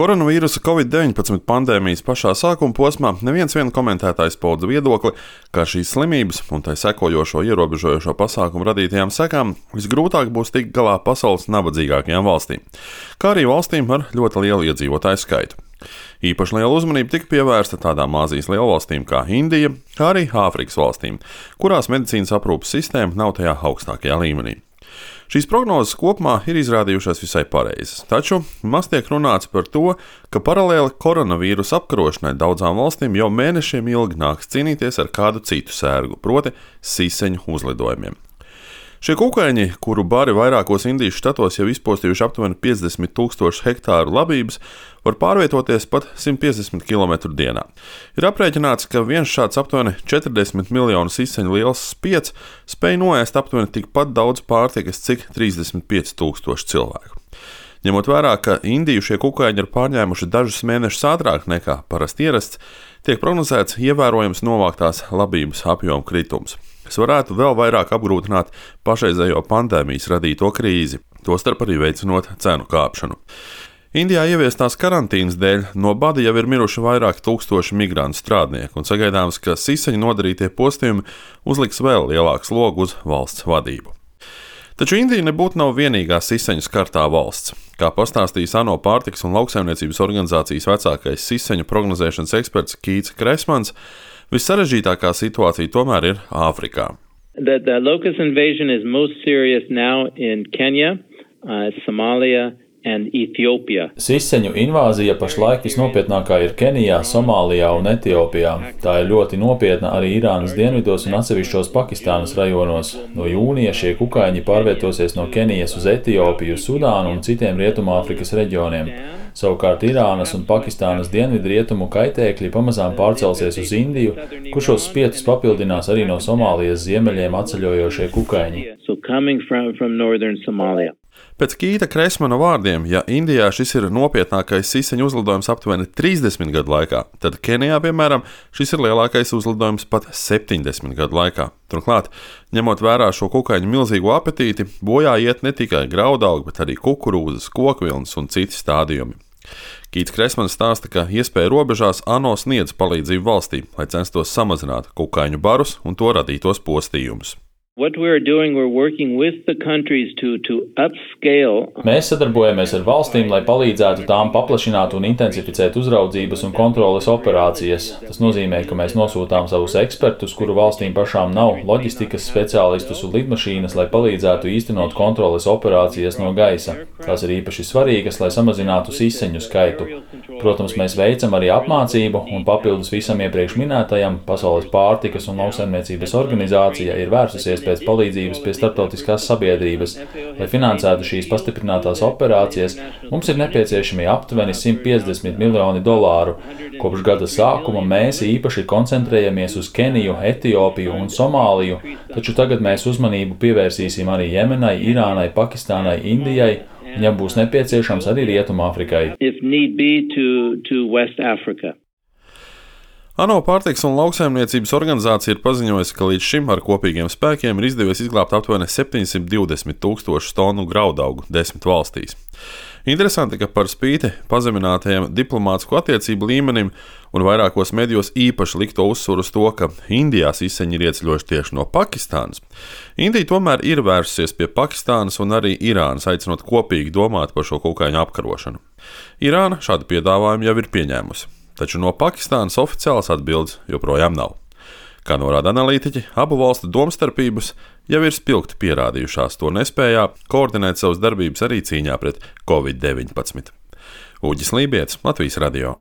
Koronavīrusa Covid-19 pandēmijas pašā sākuma posmā neviens komentētājs pauda viedokli, ka šīs slimības un tai sekojošo ierobežojošo pasākumu radītajām sekām visgrūtāk būs tikt galā pasaules nabadzīgākajām valstīm, kā arī valstīm ar ļoti lielu iedzīvotāju skaitu. Īpaši liela uzmanība tika pievērsta tādām Āzijas lielvalstīm kā Indija, kā arī Āfrikas valstīm, kurās medicīnas aprūpes sistēma nav tajā augstākajā līmenī. Šīs prognozes kopumā ir izrādījušās visai pareizas, taču maz tiek runāts par to, ka paralēli koronavīrusa apkarošanai daudzām valstīm jau mēnešiem ilgi nāks cīnīties ar kādu citu sērgu, proti siseņu uzlidojumiem. Šie kukaiņi, kuru bari vairākos Indijas štatos jau izpostījuši aptuveni 50,000 hektāru labības, var pārvietoties pat 150 km dienā. Ir aprēķināts, ka viens šāds aptuveni 40 miljonu siseņu liels spieds spēj noēst aptuveni tikpat daudz pārtikas, cik 35,000 cilvēku. Ņemot vērā, ka Indiju šie kukaiņi ir pārņēmuši dažus mēnešus ātrāk nekā parasti ierasts, tiek prognozēts ievērojams novāktās labības apjoma kritums, kas varētu vēl vairāk apgrūtināt pašreizējo pandēmijas radīto krīzi, tostarp arī veicinot cenu kāpšanu. Indijā ieviestās karantīnas dēļ no bada jau ir miruši vairāk tūkstoši migrantu strādnieku, un sagaidāms, ka siseņu nodarītie postījumi uzliks vēl lielāku slogu uz valsts vadību. Taču Indija nebūtu nav vienīgā siseņu skartā valsts. Kā pastāstījis ANO pārtikas un lauksaimniecības organizācijas vecākais siseņu prognozēšanas eksperts Keits Kresmans, vissarežģītākā situācija tomēr ir Āfrikā. The locust invasion is most serious now in Kenya, Somalia and Ethiopia. Siseņu invāzija pašlaik visnopietnākā ir Kenijā, Somālijā un Etiopijā. Tā ir ļoti nopietna arī Irānas dienvidos un atsevišķos Pakistānas rajonos. No jūnija šie kukaiņi pārvietosies no Kenijas uz Etiopiju, Sudānu un citiem Rietumāfrikas reģioniem. Savukārt Irānas un Pakistānas dienvidrietumu kaitēkļi pamazām pārcelsies uz Indiju, kur šos spietus papildinās arī no Somālijas ziemeļiem atceļojošie kukaiņi. Pēc Keita Kresmana vārdiem, ja Indijā šis ir nopietnākais siseņu uzlidojums aptuveni 30 gadu laikā, tad Kenijā, piemēram, šis ir lielākais uzlidojums pat 70 gadu laikā. Turklāt, ņemot vērā šo kukaiņu milzīgo apetīti, bojā iet ne tikai graudaugi, bet arī kukurūzas, kokvilnas un citi stādījumi. Keits Kresmans stāsta, ka iespēja robežās ANO sniedz palīdzību valstī, lai censtos samazināt kukaiņu barus un to radītos postījumus. Mēs sadarbojamies ar valstīm, lai palīdzētu tām paplašināt un intensificēt uzraudzības un kontroles operācijas. Tas nozīmē, ka mēs nosūtām savus ekspertus, kuru valstīm pašām nav, loģistikas speciālistus un lidmašīnas, lai palīdzētu īstenot kontroles operācijas no gaisa. Tās ir īpaši svarīgas, lai samazinātu siseņu skaitu. Protams, mēs veicam arī apmācību, un papildus visam iepriekš minētajam, Pasaules pārtikas un lauksaimniecības organizācija ir vērsusies pēc palīdzības pie starptautiskās sabiedrības. Lai finansētu šīs pastiprinātās operācijas, mums ir nepieciešami aptuveni $150 miljoni. Kopš gada sākuma mēs īpaši koncentrējamies uz Keniju, Etiopiju un Somāliju, taču tagad mēs uzmanību pievērsīsim arī Jemenai, Irānai, Pakistānai, Indijai, un ja būs nepieciešams arī Rietumāfrikai. ANO pārtikas un lauksaimniecības organizācija ir paziņojusi, ka līdz šim ar kopīgiem spēkiem ir izdevies izglābt aptuveni 720,000 tonu graudaugu 10 valstīs. Interesanti, ka par spīti pazeminātajam diplomātisku attiecību līmenim un vairākos medijos īpaši likto uzsvaru uz to, ka Indijā siseņi ir ieceļojuši tieši no Pakistānas, Indija tomēr ir vērsusies pie Pakistānas un arī Irānas, aicinot kopīgi domāt par šo kukaiņu apkarošanu. Irāna šādu piedāvājumu jau ir pieņēmusi, taču no Pakistānas oficiālas atbildes joprojām nav. Kā norāda analītiķi, abu valstu domstarpības jau ir spilgti pierādījušās to nespējā koordinēt savas darbības arī cīņā pret Covid-19. Uģis Lībietis, Latvijas radio.